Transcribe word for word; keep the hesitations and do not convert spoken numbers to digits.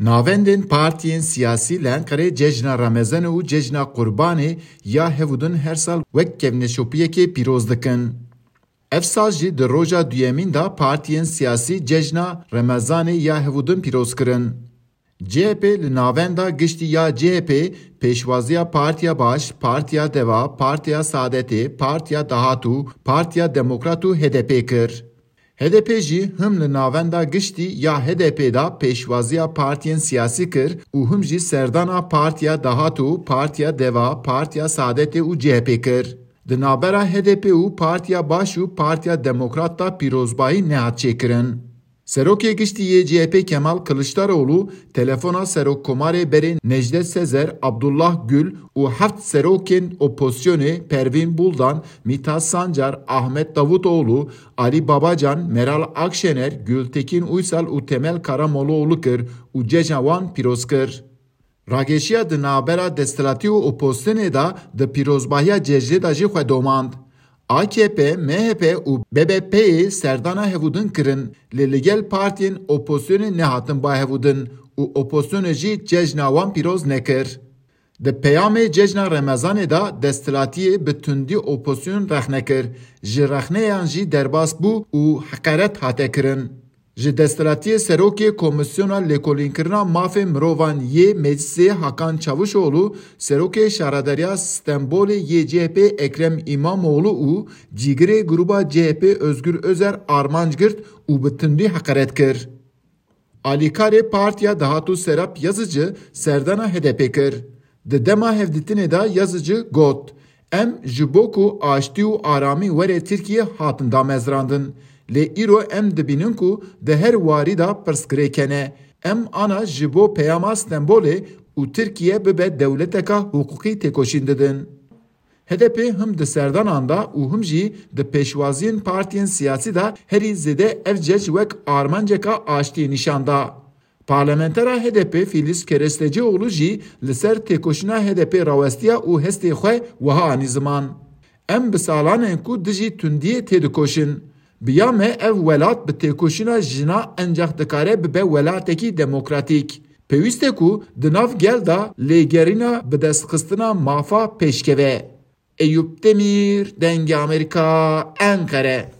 Navendên partiyên siyasî li Enqerê cejna Remezanê û cejna Qurbanê ya hevûdin her sal wek kevneşopiyekê pîroz dikin. Ev sal jî di roja duyemîn de partiyên siyasî cejna Remezanê ya hevûdin pîroz kirin. C H P li navenda giştî ya C H P pêşwaziya Partiya Baş, Partiya Deva, Partiya Saadetê, Partiya Dahat û Partiya Demokrat û H D P kir. H D P jî him li navenda giştî ya H D P de pêşwaziya partiyên siyasî kir û him jî serdana Partiya Dahat û Partiya Deva, Partiya Saadetê û C H P kir. Di navbera H D P û Partiya Baş û Partiya Demokrat de pîrozbahî nehat çêkirin. Serokê Giştî yê C H P Kemal Kiliçdaroglu telefona Serokkomarê berê Necdet Sezer, Abdullah Gül û heft serokên opozisyonê Pervîn Buldan, Mithat Sancar, Ahmet Davutoglu, Alî Babacan, Meral Akşener, Gültekin Uysal û Temel Karamollaoglu kir û cejna wan pîroz kir. Rageşiya di navbera desthilatî û opozisyonê de di pîrozbahiya cejnê de jî xwe domand. A K P, M H P û B B P'yê serdana hevûdin kirin, lê li gel partiyên opozisyonê nehatin ba hevûdin û opozisyonê jî cejna wan pîroz nekir. Di peyamê cejna Remezanê de desthilatiyê bi tundî opozisyon rexne kir, ji rexneyan jî derbas bû û heqeret hate kirin. Ji desthilatiyê serokê Komîsyona Lêkolînkirina Mafê Mirovan yê Meclisê Hakan Çavuşoglu, serokê Şaredariya Stenbolê yê C H P Ekrem İmamoğlu û cîgirê grûba C H P Özgür Özer armanc girt û bi tundî heqeret kir. Alîkarê Partiya Dahat û Serap Yazıcı serdana H D P kir. Di dema hevdîtinê de Yazıcı got, Em ji bo ku aştî û aramî were Tirkiyê hatin damezrandin. Lê îro em dibînin ku di her warî de pirsgirêk hene. Em ana ji bo peyama Stenbolê û Tirkiye bibe dewleteka hiqûqî têkoşîn didin. H D P him di serdanan de û him jî di pêşwaziyên partiyên siyasî de herî zêde ev cej wek armanceka aştiyê nîşan da. Parlamentera H D P Filiz Kerestecioglu jî li ser têkoşîna H D P rawestiya û hestê xwe wiha anî ziman, Em bi salan in ku dijî tundiyê têdikoşin. Bi ya me ev welat bi têkoşîna jina encax dikare bibe welatekî demokratîk. Pêwîst e ku di nav gel de lêgerîna bidestxistina mafa pêşkeve. Eyûp Demîr, Dengê Amerîka, Enqere.